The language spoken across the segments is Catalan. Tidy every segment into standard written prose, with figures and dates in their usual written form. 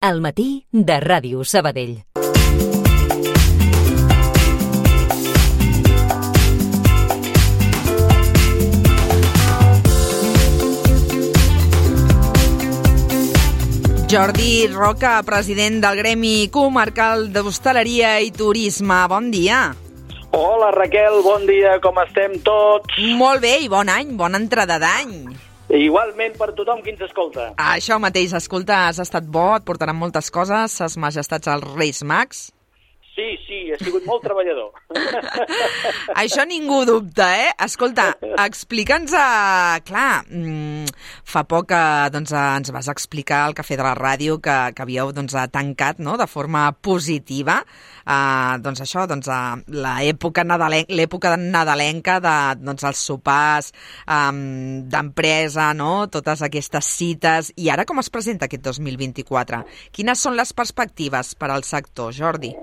Al matí de Ràdio Sabadell. Jordi Roca, president del Gremi Comarcal d'Hostaleria i Turisme. Bon dia. Hola, Raquel, bon dia, com estem tots? Molt bé i bon any, bona entrada d'any. Igualment per tothom qui ens escolta. Això mateix, escolta, has estat bo, et portaran moltes coses, ses majestats als Reis Mags. Sí, he sigut molt treballador. Això ningú dubta, eh? Escolta, explica'ns... Clar, fa poc ens vas explicar al Cafè de la Ràdio que havíeu tancat, no?, de forma positiva l'època nadalenca dels sopars d'empresa, no?, totes aquestes cites. I ara com es presenta aquest 2024? Quines són les perspectives per al sector, Jordi?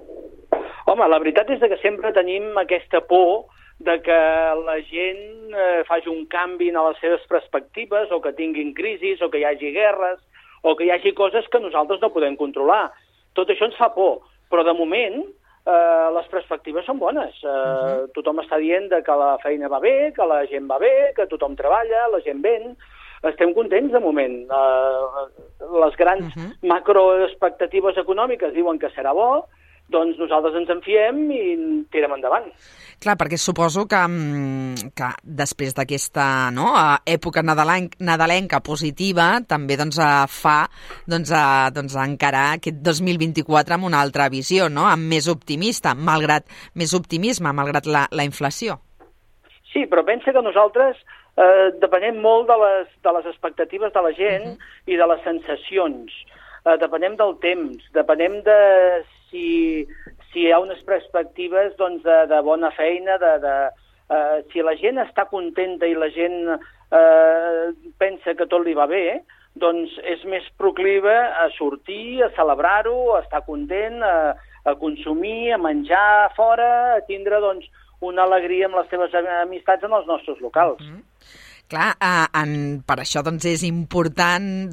Home, la veritat és que sempre tenim aquesta por de que la gent faci un canvi en les seves perspectives, o que tinguin crisis, o que hi hagi guerres, o que hi hagi coses que nosaltres no podem controlar. Tot això ens fa por, però de moment les perspectives són bones. Tothom està dient que la feina va bé, que la gent va bé, que tothom treballa, la gent ven. Estem contents de moment. Les grans macroexpectatives econòmiques diuen que serà bo, doncs nosaltres ens en fiem i tirem endavant. Clar, perquè suposo que després d'aquesta època nadalenca positiva també fa encarar aquest 2024 amb una altra visió, no?, amb més optimisme, malgrat la inflació. Sí, però pensa que nosaltres depenem molt de les expectatives de la gent i de les sensacions. Depenem del temps, depenem de si hi ha unes perspectives de bona feina, si la gent està contenta i la gent pensa que tot li va bé, doncs és més proclive a sortir, a celebrar-ho, a estar content, a consumir, a menjar fora, a tindre una alegria amb les seves amistats en els nostres locals. Clar, per això és important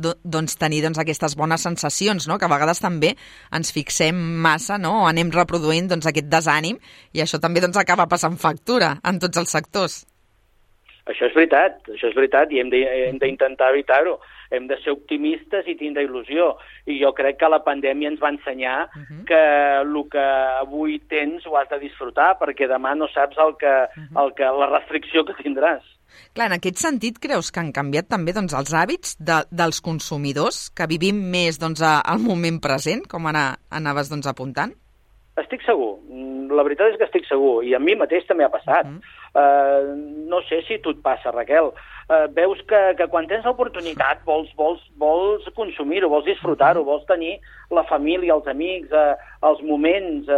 tenir aquestes bones sensacions, no?, que a vegades també ens fixem massa, no?, o anem reproduint aquest desànim, i això també acaba passant factura en tots els sectors. Això és veritat, i hem d'intentar evitar-ho. Hem de ser optimistes i tindre il·lusió. I jo crec que la pandèmia ens va ensenyar que el que avui tens ho has de disfrutar, perquè demà no saps la restricció que tindràs. Clar, en aquest sentit, creus que han canviat també els hàbits dels consumidors, que vivim més al moment present, com ara anaves apuntant? Estic segur, la veritat és que estic segur, i a mi mateix també ha passat. No sé si tu et passa, Raquel. Veus que quan tens l'oportunitat vols consumir-ho, vols disfrutar-ho, vols tenir la família, els amics, els moments.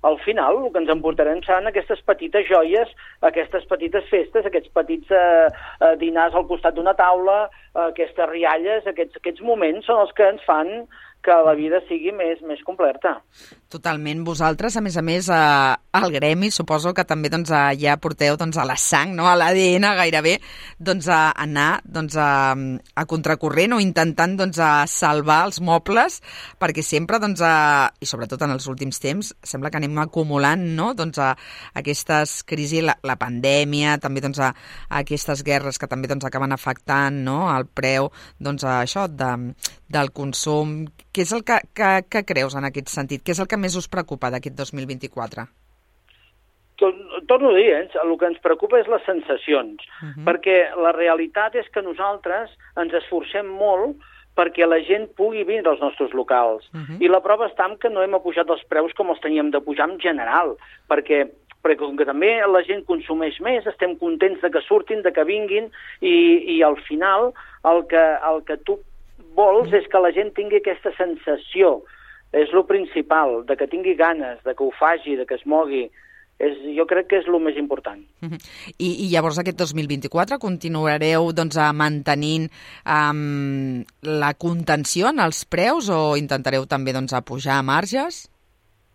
Al final el que ens emportarem seran aquestes petites joies, aquestes petites festes, aquests petits dinars al costat d'una taula, aquestes rialles, aquests moments són els que ens fan que la vida sigui més completa. Totalment. Vosaltres, a més, al Gremi, suposo que també ja porteu a la sang, no?, a l'ADN gairebé, a anar a contracorrent o intentant salvar els mobles, perquè sempre, i sobretot en els últims temps, sembla que anem acumulant, no?, aquestes crisis, la pandèmia, també aquestes guerres que també acaben afectant, no?, el preu això del consum. Què és el que creus en aquest sentit? Què és el que més us preocupa d'aquest 2024? Torno a dir, el que ens preocupa és les sensacions, perquè la realitat és que nosaltres ens esforcem molt perquè la gent pugui vindre als nostres locals. I la prova està en que no hem apujat els preus com els teníem de pujar en general, perquè com que també la gent consumeix més, estem contents de que surtin, de que vinguin, i al final el que tu vols és que la gent tingui aquesta sensació. És el principal, de que tingui ganes, de que ho faci, de que es mogui. Jo crec que és el més important. I llavors aquest 2024 continuareu mantenint la contenció en els preus o intentareu també apujar marges?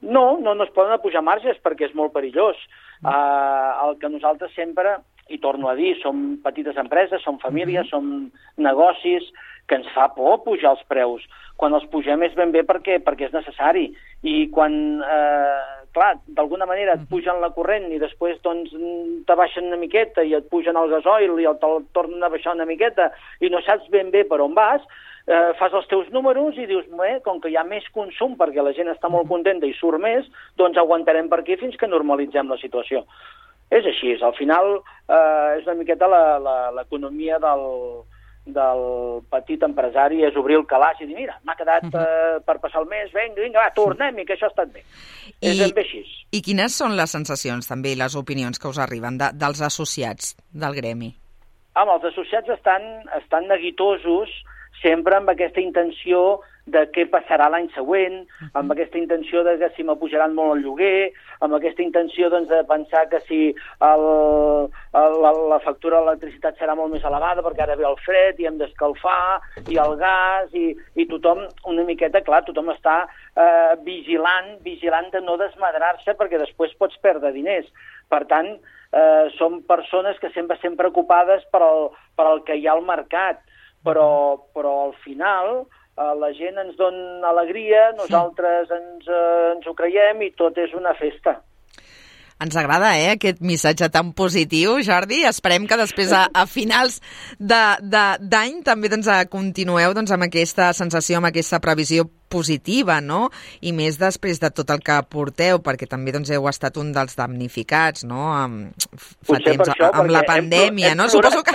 No es poden apujar marges perquè és molt perillós. El que nosaltres sempre, i torno a dir, som petites empreses, som famílies, som negocis que ens fa por pujar els preus. Quan els pugem és ben bé perquè és necessari. I quan, clar, d'alguna manera et pugen la corrent i després doncs te baixen una miqueta i et pugen el gasoil i te'l tornen a baixar una miqueta i no saps ben bé per on vas, fas els teus números i dius, com que hi ha més consum perquè la gent està molt contenta i surt més, doncs aguantarem per aquí fins que normalitzem la situació. És així, al final és una miqueta l'economia del petit empresari, és obrir el calaix i dir, mira, m'ha quedat per passar el mes, vinga, va, tornem-hi, que això ha estat bé. És ben bé així. I quines són les sensacions, també, i les opinions que us arriben dels associats del gremi? Els associats estan neguitosos sempre amb aquesta intenció de què passarà l'any següent, amb aquesta intenció de que si m'apujaran molt el lloguer, amb aquesta intenció doncs, de pensar que si la factura de l'electricitat serà molt més elevada perquè ara ve el fred i hem d'escalfar, i el gas, i tothom, una miqueta, clar, tothom està vigilant de no desmadrar-se perquè després pots perdre diners. Per tant, som persones que sempre estem preocupades per el que hi ha al mercat, però al final la gent ens dona alegria, nosaltres ens ho creiem i tot és una festa. Ens agrada, aquest missatge tan positiu, Jordi. Esperem que després, a finals d'any, també continueu amb aquesta sensació, amb aquesta previsió positiva, no? I més després de tot el que porteu, perquè també heu estat un dels damnificats, no? Fa temps, amb la pandèmia, no? Suposo que...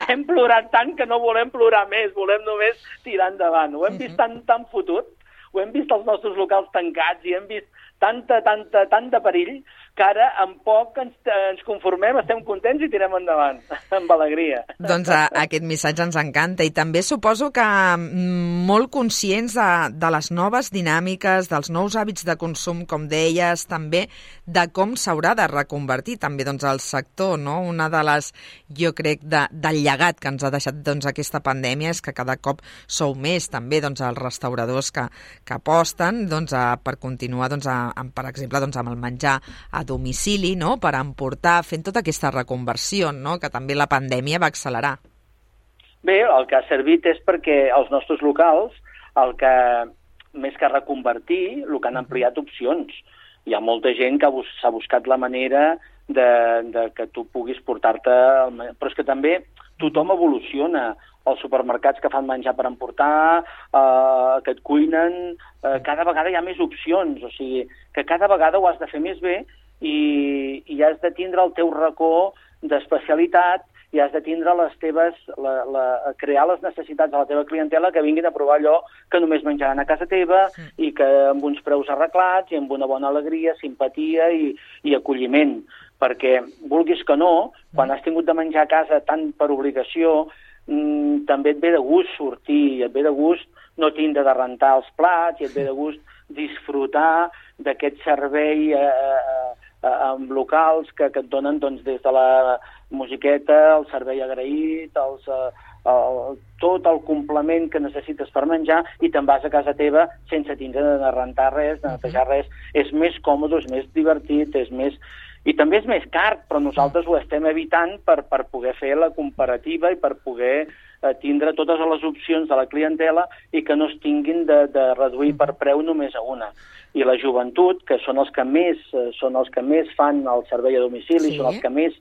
Hem plorat tant que no volem plorar més, volem només tirar endavant. Ho hem vist tan fotut, ho hem vist els nostres locals tancats i hem vist tant de perill que ara amb poc ens conformem, estem contents i tirem endavant, amb alegria. Doncs aquest missatge ens encanta i també suposo que molt conscients de les noves dinàmiques, dels nous hàbits de consum, com deies, també de com s'haurà de reconvertir també el sector, no? Una de les, jo crec, del llegat que ens ha deixat aquesta pandèmia és que cada cop sou més també els restauradors que aposten per continuar, per exemple, amb el menjar a domicili, no? Per emportar, fent tota aquesta reconversió, no? Que també la pandèmia va accelerar. Bé, el que ha servit és perquè els nostres locals, més que reconvertir, el que han ampliat opcions. Hi ha molta gent que s'ha buscat la manera de que tu puguis portar-te... Però és que també tothom evoluciona. Els supermercats que fan menjar per emportar, que et cuinen, cada vegada hi ha més opcions, o sigui, que cada vegada ho has de fer més bé i has de tindre el teu racó d'especialitat i has de tindre crear les necessitats de la teva clientela que vinguin a provar allò que només menjaran a casa teva i que amb uns preus arreglats i amb una bona alegria, simpatia i acolliment. Perquè, vulguis que no, quan has tingut de menjar a casa tant per obligació, també et ve de gust sortir, et ve de gust no tindre de rentar els plats i et ve de gust disfrutar d'aquest servei amb locals que et donen des de la musiqueta, el servei agraït, tot el complement que necessites per menjar i te'n vas a casa teva sense tindre de rentar res, de netejar res. És més còmode, és més divertit, és més... I també és més car, però nosaltres ho estem evitant per poder fer la comparativa i per poder tindre totes les opcions de la clientela i que no es tinguin de reduir per preu només a una. I la joventut, que són els que més fan el servei a domicili, són els que més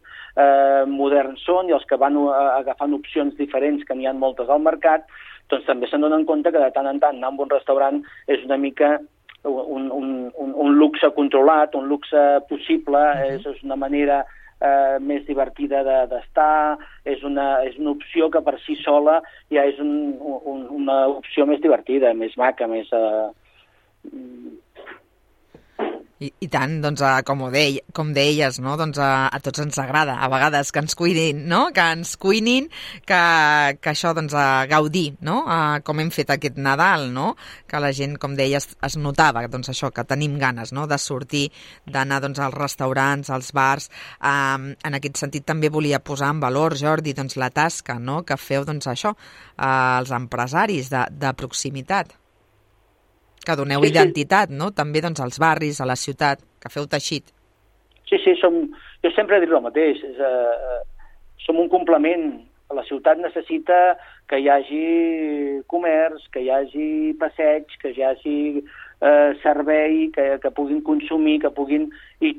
moderns són i els que van agafant opcions diferents, que n'hi ha moltes al mercat, doncs també se'n donen compte que de tant en tant anar a un restaurant és una mica un luxe controlat, un luxe possible, és una manera més divertida d'estar, és una opció que per si sola ja és una opció més divertida, més maca, més... I tant, com deies, no? A tots ens agrada, a vegades, que ens cuidin, no? Que ens cuinin, que això, gaudir, no? Com hem fet aquest Nadal, no? Que la gent, com deies, es notava, això, que tenim ganes, no? De sortir, d'anar, als restaurants, als bars. En aquest sentit, també volia posar en valor, Jordi, la tasca, no? Que feu, això, als empresaris de proximitat. Que doneu identitat, no? També als barris, a la ciutat, que feu teixit. Sí, jo sempre he dit el mateix. Som un complement La ciutat necessita que hi hagi comerç, que hi hagi passeig, que hi hagi servei, que puguin consumir, que puguin... I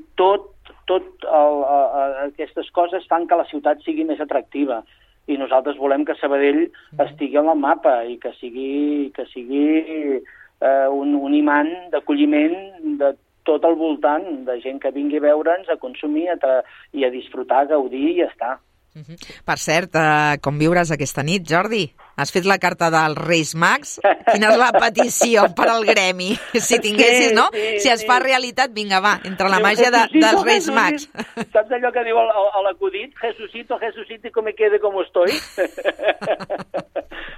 aquestes coses fan que la ciutat sigui més atractiva. I nosaltres volem que Sabadell estigui en el mapa i que sigui un imant d'acolliment de tot el voltant, de gent que vingui a veure'ns, a consumir i a disfrutar, a gaudir i ja està. Per cert, com viuràs aquesta nit, Jordi? Has fet la carta dels Reis Mags? Quina és la petició per al gremi? Si tinguessis, no? Si es fa realitat, vinga, va, entre la màgia dels Reis Mags. Saps allò que diu l'acudit? Jesucito, que me quede como estoy.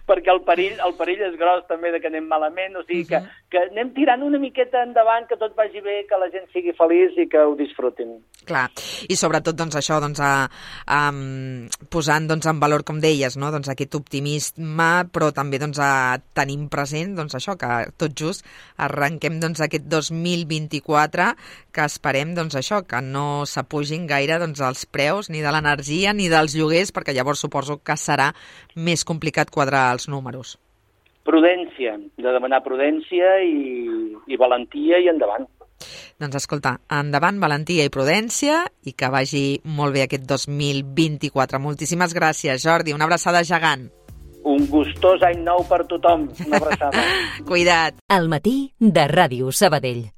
Perquè el perill és gros també de que anem malament, o sigui que anem tirant una miqueta endavant, que tot vagi bé, que la gent sigui feliç i que ho disfrutin. Clar, i sobretot doncs, això, doncs, posant doncs, en valor, com deies, no? Doncs, aquest optimisme, però també doncs, tenim present doncs, això, que tot just arrenquem doncs, aquest 2024, que esperem doncs, això, que no s'apugin gaire doncs, els preus ni de l'energia ni dels lloguers, perquè llavors suposo que serà més complicat quadrar els números. Prudència, de demanar prudència i valentia i endavant. Doncs escolta, endavant, valentia i prudència i que vagi molt bé aquest 2024. Moltíssimes gràcies, Jordi. Una abraçada gegant. Un gustós any nou per tothom. Una abraçada. Cuida't. Al matí de Ràdio Sabadell.